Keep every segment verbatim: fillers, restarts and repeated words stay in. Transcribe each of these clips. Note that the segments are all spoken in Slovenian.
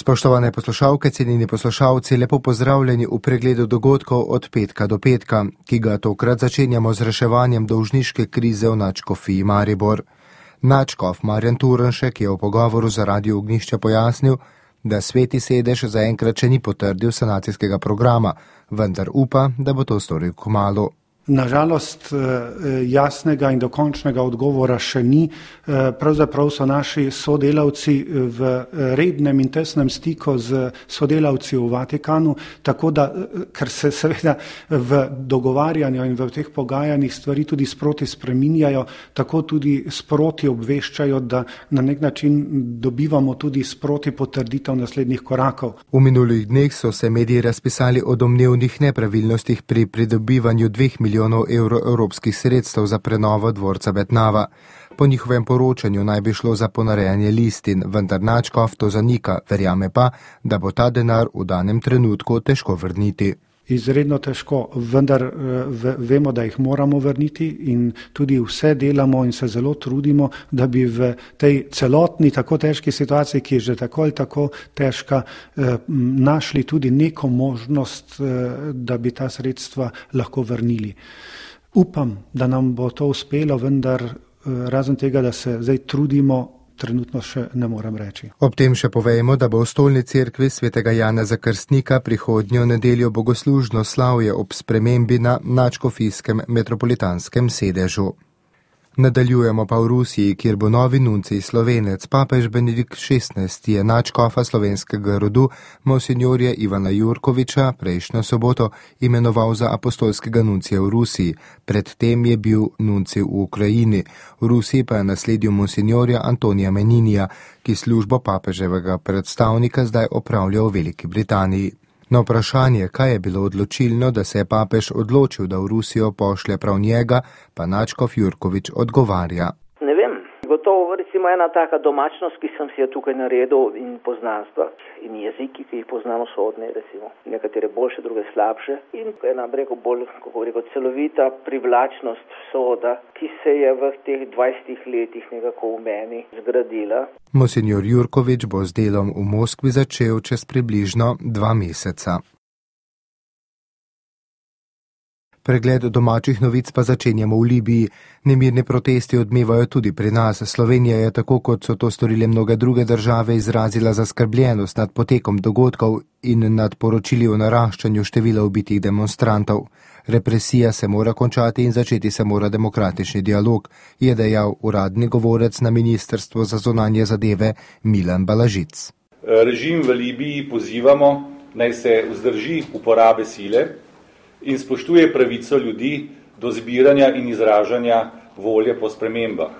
Spoštovane poslušalke, cenjeni poslušalci, lepo pozdravljeni v pregledu dogodkov od petka do petka, ki ga tokrat začenjamo z reševanjem dolžniške krize v nadškofiji Maribor. Nadškof Marjan Turnšek je v pogovoru za Radio Ognjišče pojasnil, da Sveti sedež zaenkrat še ni potrdil sanacijskega programa, vendar upa, da bo to storil kmalu. Nažalost, jasnega in dokončnega odgovora še ni. Pravzaprav so naši sodelavci v rednem in tesnem stiku z sodelavci v Vatikanu, tako da, ker se seveda v dogovarjanju in v teh pogajanjih stvari tudi sproti spreminjajo, tako tudi sproti obveščajo, da na nek način dobivamo tudi sproti potrditev naslednjih korakov. V minulih dneh so se mediji razpisali o domnevnih nepravilnostih pri pridobivanju dveh milijonov milijonov evrov evropskih sredstev za prenovo dvorca Betnava. Po njihovem poročanju naj bi šlo za ponarejanje listin, vendar nadškof to zanika, verjame pa, da bo ta denar v danem trenutku težko vrniti. Izredno težko, vendar vemo, da jih moramo vrniti in tudi vse delamo in se zelo trudimo, da bi v tej celotni tako težki situaciji, ki je že tako ali tako težka, našli tudi neko možnost, da bi ta sredstva lahko vrnili. Upam, da nam bo to uspelo, vendar razen tega, da se zdaj trudimo, trenutno še ne morem reči. Ob tem še povejmo, da bo v stolni cerkvi svetega Janeza Krstnika prihodnjo nedeljo bogoslužno slavje ob spremembi na nadškofijskem metropolitanskem sedežu. Nadaljujemo pa v Rusiji, kjer bo novi nuncij Slovenec. Papež Benedikt šestnajsti je nadškofa slovenskega rodu monsinjorja Ivana Jurkoviča prejšnjo soboto imenoval za apostolskega nuncija v Rusiji. Predtem je bil nuncij v Ukrajini. V Rusiji pa je nasledil monsinjorja Antonija Meninija, ki službo papeževega predstavnika zdaj opravlja v Veliki Britaniji. Na vprašanje, kaj je bilo odločilno, da se je papež odločil, da v Rusijo pošlje prav njega, pa nadškof Jurkovič odgovarja. Ne vem, gotovo recimo ena taka domačnost, ki sem si jo tukaj naredil, in poznanstva in jeziki, ki jih poznamo sodne, recimo nekatere boljše, druge slabše, in ena rekel bolj, kako rekel, celovita privlačnost soda, ki se je v teh dvajsetih letih nekako v meni zgradila. Monsinjor Jurkovič bo z delom v Moskvi začel čez približno dva meseca. Pregled domačih novic pa začenjamo v Libiji. Nemirni protesti odmevajo tudi pri nas. Slovenija je tako, kot so to storile mnoge druge države, izrazila zaskrbljenost nad potekom dogodkov in nad poročili o naraščanju števila ubitih demonstrantov. Represija se mora končati in začeti se mora demokratični dialog, je dejal uradni govorec na Ministrstvu za zunanje zadeve Milan Balažic. Režim v Libiji pozivamo, naj se vzdrži uporabe sile in spoštuje pravico ljudi do zbiranja in izražanja volje po spremembah.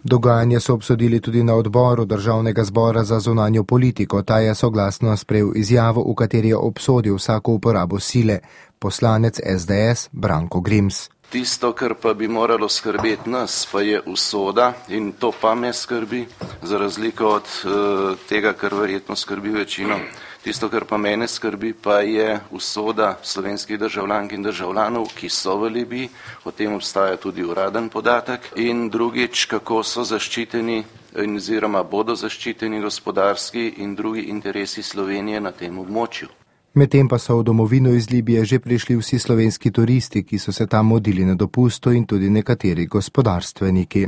Dogajanje so obsodili tudi na odboru Državnega zbora za zunanjo politiko. Ta je soglasno sprejel izjavo, v kateri je obsodil vsako uporabo sile. Poslanec es de es Branko Grims. Tisto, kar pa bi moralo skrbeti nas, pa je usoda in to pa me skrbi, za razliko od uh, tega, kar verjetno skrbi večino. Tisto, kar pa mene skrbi, pa je usoda slovenskih državljank in državljanov, ki so v Libiji, o tem obstaja tudi uraden podatek, in drugič, kako so zaščiteni oziroma bodo zaščiteni gospodarski in drugi interesi Slovenije na tem območju. Medtem pa so v domovino iz Libije že prišli vsi slovenski turisti, ki so se tam modili na dopustu, in tudi nekateri gospodarstveniki.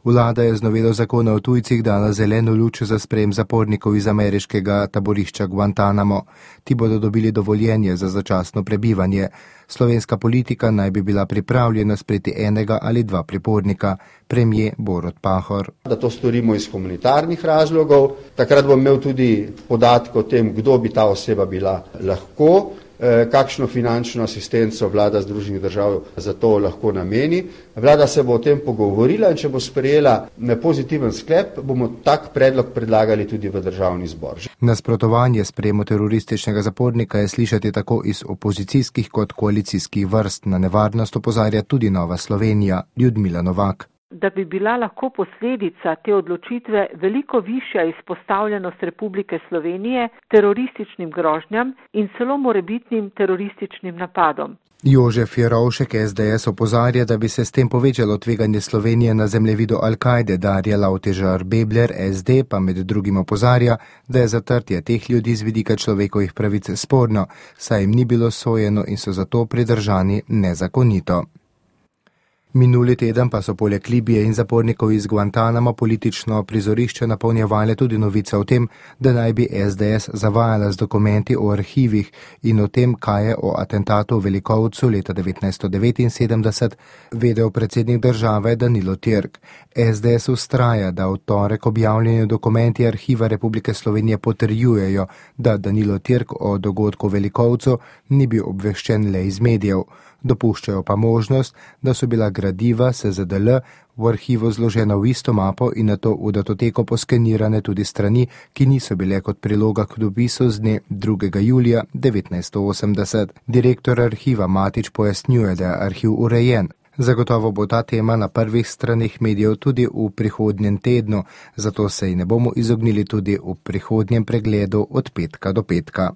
Vlada je z novelo zakona o tujcih dala zeleno luč za sprejem zapornikov iz ameriškega taborišča Guantanamo. Ti bodo dobili dovoljenje za začasno prebivanje. Slovenska politika naj bi bila pripravljena sprejeti enega ali dva pripornika. Premier Borut Pahor. Da to storimo iz humanitarnih razlogov. Takrat bom imel tudi podatke o tem, kdo bi ta oseba bila lahko, kakšno finančno asistenco vlada Združenih držav za to lahko nameni. Vlada se bo o tem pogovorila in če bo sprejela pozitiven sklep, bomo tak predlog predlagali tudi v državni zbor. Nasprotovanje sprejemu terorističnega zapornika je slišati tako iz opozicijskih kot koalicijskih vrst. Na nevarnost opozarja tudi Nova Slovenija. Ljudmila Novak. da bi bila lahko posledica te odločitve veliko višja izpostavljenost Republike Slovenije terorističnim grožnjam in celo morebitnim terorističnim napadom. Jožef Jerovšek S D S opozarja, da bi se s tem povečalo tveganje Slovenije na zemljevidu Al-Kaide. Darja Lavtežar Bebler S D pa med drugim opozarja, da je zatrtje teh ljudi z vidika človekovih pravic sporno, saj jim ni bilo sojeno in so zato pridržani nezakonito. Minuli teden pa so poleg Libije in zapornikov iz Guantanama politično prizorišče napolnjevale tudi novice o tem, da naj bi S D S zavajala z dokumenti o arhivih in o tem, kaj je o atentatu v Velikovcu leta devetnajststo devetinsedemdeset vedel predsednik države Danilo Türk. S D S ustraja, da v torek objavljeni dokumenti Arhiva Republike Slovenije potrjujejo, da Danilo Türk o dogodku v Velikovcu ni bil obveščen le iz medijev. Dopuščajo pa možnost, da so bila gradiva S Z D L v arhivu zložena v isto mapo in nato v datoteko poskenirane tudi strani, ki niso bile kot priloga k dopisu z dne drugega julija devetnajststo osemdeset. Direktor arhiva Matič pojasnjuje, da je arhiv urejen. Zagotovo bo ta tema na prvih stranih medijev tudi v prihodnjem tednu, zato se ji ne bomo izognili tudi v prihodnjem pregledu od petka do petka.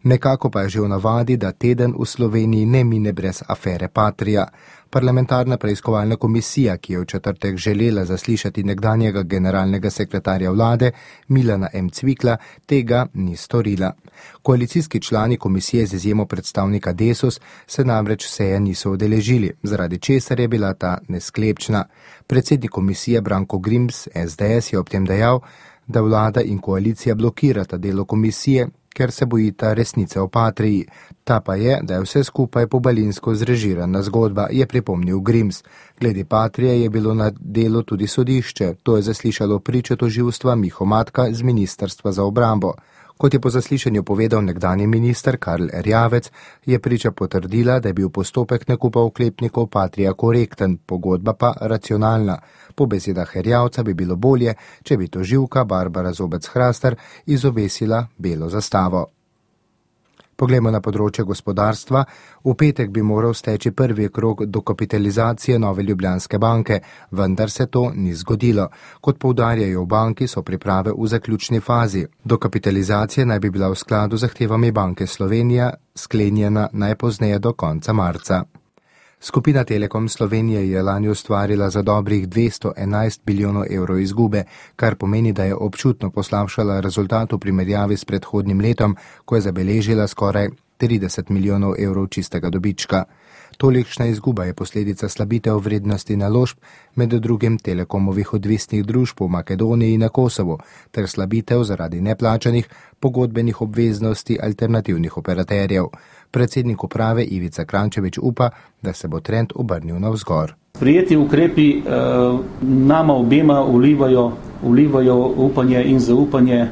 Nekako pa je že v navadi, da teden v Sloveniji ne mine brez afere Patria. Parlamentarna preiskovalna komisija, ki je v četrtek želela zaslišati nekdanjega generalnega sekretarja vlade Milana M. Cvikla, tega ni storila. Koalicijski člani komisije z izjemo predstavnika Desus se namreč seje niso udeležili, zaradi česar je bila ta nesklepčna. Predsednik komisije Branko Grims S D S je ob tem dejal, da vlada in koalicija blokirata delo komisije, ker se bojita resnice o Patriji. Ta pa je, da je vse skupaj pobalinsko zrežirana zgodba, je pripomnil Grims. Glede Patrije je bilo na delu tudi sodišče, to je zaslišalo pričo tožilstva Miho Matka z Ministrstva za obrambo. Kot je po zaslišanju povedal nekdanji minister Karl Erjavec, je priča potrdila, da je bil postopek nakupa oklepnikov Patrija korekten, pogodba pa racionalna. Po besedah Erjavca bi bilo bolje, če bi tožilka Barbara Zobec-Hrastar izobesila belo zastavo. Poglejmo na področje gospodarstva. V petek bi moral steči prvi krog dokapitalizacije Nove Ljubljanske banke, vendar se to ni zgodilo. Kot poudarjajo v banki, so priprave v zaključni fazi. Dokapitalizacija naj bi bila v skladu z zahtevami Banke Slovenija sklenjena najpozneje do konca marca. Skupina Telekom Slovenije je lani ustvarila za dobrih dvesto enajst bilijonov evrov izgube, kar pomeni, da je občutno poslabšala rezultat v primerjavi s predhodnim letom, ko je zabeležila skoraj trideset milijonov evrov čistega dobička. Tolikšna izguba je posledica slabitev vrednosti naložb, med drugim Telekomovih odvisnih družb v Makedoniji in na Kosovu, ter slabitev zaradi neplačanih pogodbenih obveznosti alternativnih operaterjev. Predsednik uprave Ivica Krančevič upa, da se bo trend obrnil navzgor. Prijeti ukrepi eh, nama obema vlivajo, vlivajo upanje in zaupanje,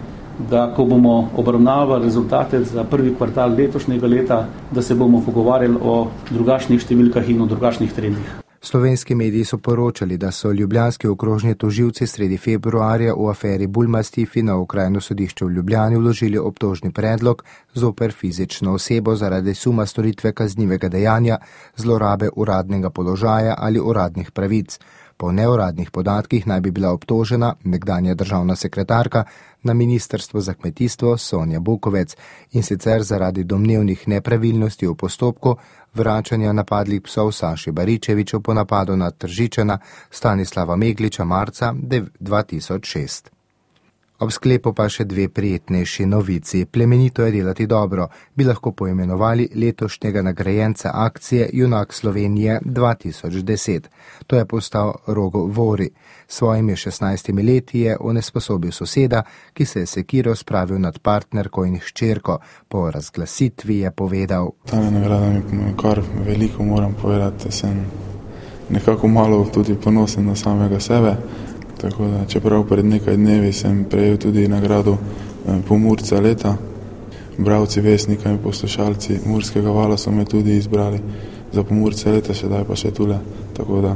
da ko bomo obravnavali rezultate za prvi kvartal letošnjega leta, da se bomo pogovarjali o drugačnih številkah in o drugačnih trendih. Slovenski mediji so poročali, da so ljubljanski okrožni tožilci sredi februarja v aferi Bulmastifi na okrajno sodišče v Ljubljani vložili obtožni predlog zoper fizično osebo zaradi suma storitve kaznivega dejanja, zlorabe uradnega položaja ali uradnih pravic. Po neuradnih podatkih naj bi bila obtožena nekdanja državna sekretarka na Ministrstvu za kmetijstvo Sonja Bukovec in sicer zaradi domnevnih nepravilnosti v postopku vračanja napadlih psov Saši Baričeviču po napadu na Tržičana Stanislava Megliča marca dva tisoč šest. Ob sklepu pa še dve prijetnejši novici. Plemenito je delati dobro, bi lahko poimenovali letošnjega nagrajenca akcije Junak Slovenije dva tisoč deset. To je postal Rogo Vori. Svojimi šestnajstimi leti je onesposobil soseda, ki se je sekiro spravil nad partnerko in hčerko. Po razglasitvi je povedal: Ta nagrada mi kar veliko, moram povedati, sem nekako malo tudi ponosen na samega sebe. Tako da, čeprav pred nekaj dnevi sem prejel tudi nagrado Pomurca leta, bralci Vesnika in poslušalci Murskega vala so me tudi izbrali za Pomurca leta, še daj pa še tule, tako da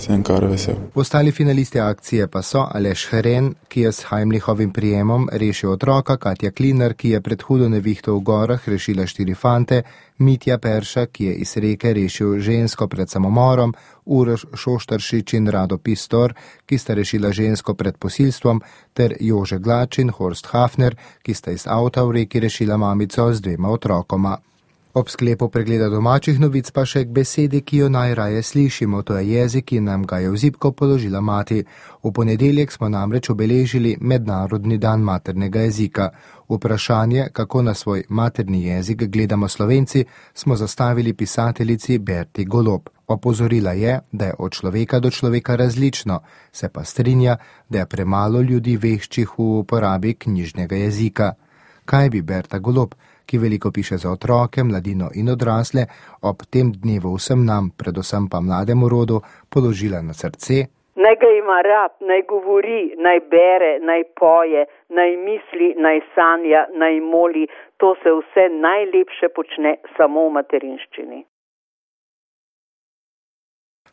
sem kar vesel. Ostali finalisti akcije pa so Aleš Hren, ki je s Heimlichovim prijemom rešil otroka, Katja Klinar, ki je pred hudo nevihto v gorah rešila štiri fante, Mitja Perša, ki je iz reke rešil žensko pred samomorom, Uroš Šoštaršič in Rado Pistor, ki sta rešila žensko pred posilstvom, ter Jože Glač in Horst Hafner, ki sta iz avta v reki rešila mamico z dvema otrokoma. Ob sklepu pregleda domačih novic pa še k besedi, ki jo najraje slišimo, to je jezik, ki nam ga je v zibko položila mati. V ponedeljek smo namreč obeležili Mednarodni dan maternega jezika. Vprašanje, kako na svoj materni jezik gledamo Slovenci, smo zastavili pisateljici Berti Golob. Opozorila je, da je od človeka do človeka različno, se pa strinja, da je premalo ljudi veščih v uporabi knjižnega jezika. Kaj bi Berta Golob, ki veliko piše za otroke, mladino in odrasle, ob tem dnevu vsem nam, predvsem pa mlademu rodu, položila na srce? Naj ga ima rad, naj govori, naj bere, naj poje, naj misli, naj sanja, naj moli. To se vse najlepše počne samo v materinščini.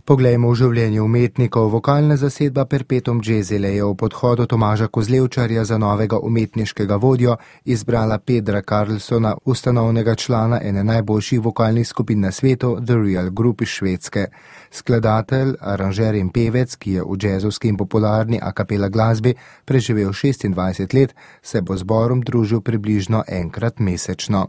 Poglejmo v življenje umetnikov. Vokalna zasedba Perpetuum Jazzile je v podhodu Tomaža Kozlevčarja za novega umetniškega vodjo izbrala Pedra Karlsona, ustanovnega člana ene najboljših vokalnih skupin na svetu, The Real Group iz Švedske. Skladatelj, aranžer in pevec, ki je v jazzovski in popularni a capella glasbi preživel šestindvajset let, se bo zborom družil približno enkrat mesečno.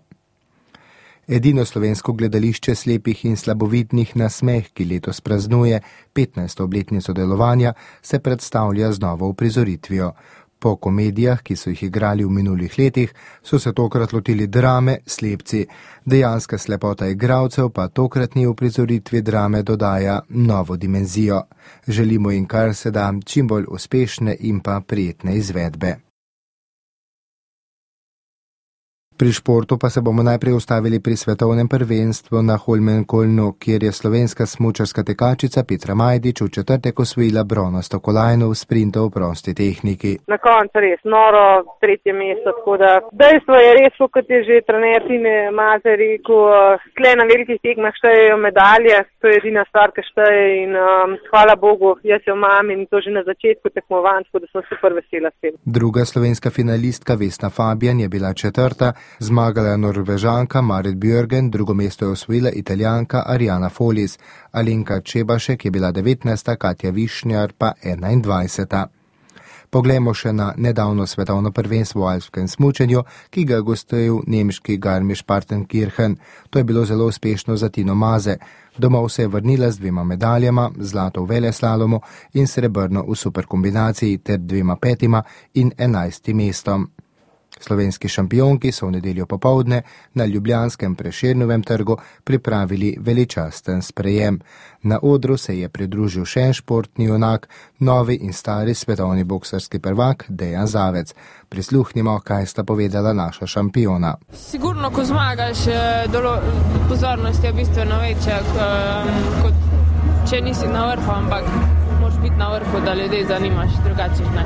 Edino slovensko gledališče slepih in slabovidnih Nasmeh, ki letos praznuje petnajsto obletnico delovanja, se predstavlja z novo uprizoritvijo. Po komedijah, ki so jih igrali v minulih letih, so se tokrat lotili drame Slepci. Dejanska slepota igralcev pa tokratni uprizoritvi drame dodaja novo dimenzijo. Želimo jim kar se da čim bolj uspešne in pa prijetne izvedbe. Pri športu pa se bomo najprej ustavili pri svetovnem prvenstvu na Holmenkollnu, kjer je slovenska smučarska tekačica Petra Majdič v četrtek osvojila bronasto kolajno v sprintu v prosti tehniki. Na koncu res noro, tretje mesto, tako da dejstvo je res, kot je že trener Tine Maze rekel, tle na velikih tekmah štejejo medalje, to je edina stvar, ki šteje in um, hvala Bogu, jaz jo imam in to že na začetku tekmovanj, tako da sem super vesela s tem. Druga slovenska finalistka Vesna Fabijan je bila četrta, zmagala je Norvežanka Marit Bjørgen, drugo mesto je osvojila Italijanka Ariana Folis, Alenka Čebašek je bila devetnajsta, Katja Višnjar pa enaindvajseta. Poglejmo še na nedavno svetovno prvenstvo v alpskem smučanju, ki ga je gostil nemški Garmisch-Partenkirchen. To je bilo zelo uspešno za Tino Maze. Domov se je vrnila z dvema medaljama, zlato v veleslalomu in srebrno v superkombinaciji ter dvema petima in enajstim mestom. Slovenski šampionki so v nedeljo popoldne na ljubljanskem Prešernovem trgu pripravili veličasten sprejem. Na odru se je pridružil še en športni junak, novi in stari svetovni boksarski prvak Dejan Zavec. Prisluhnimo, kaj sta povedala naša šampiona. Sigurno, ko zmagaš, pozornost je bistveno večja, kot če nisi na vrhu, ampak moraš biti na vrhu, da ljudi zanimaš, drugače ne.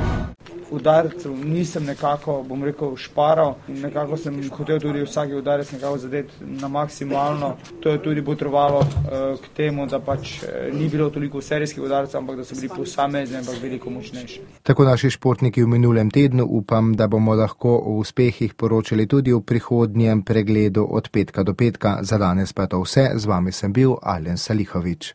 Udarcev nisem nekako, bom rekel, šparal in nekako sem hotel tudi vsaki udarec nekako zadeti na maksimalno. To je tudi potrebovalo uh, k temu, da pač ni bilo toliko serijskih udarcev, ampak da so bili posamezni, ampak veliko močnejši. Tako naši športniki v minulem tednu, upam, da bomo lahko o uspehih poročali tudi v prihodnjem pregledu od petka do petka. Za danes pa to vse, z vami sem bil Alen Salihovič.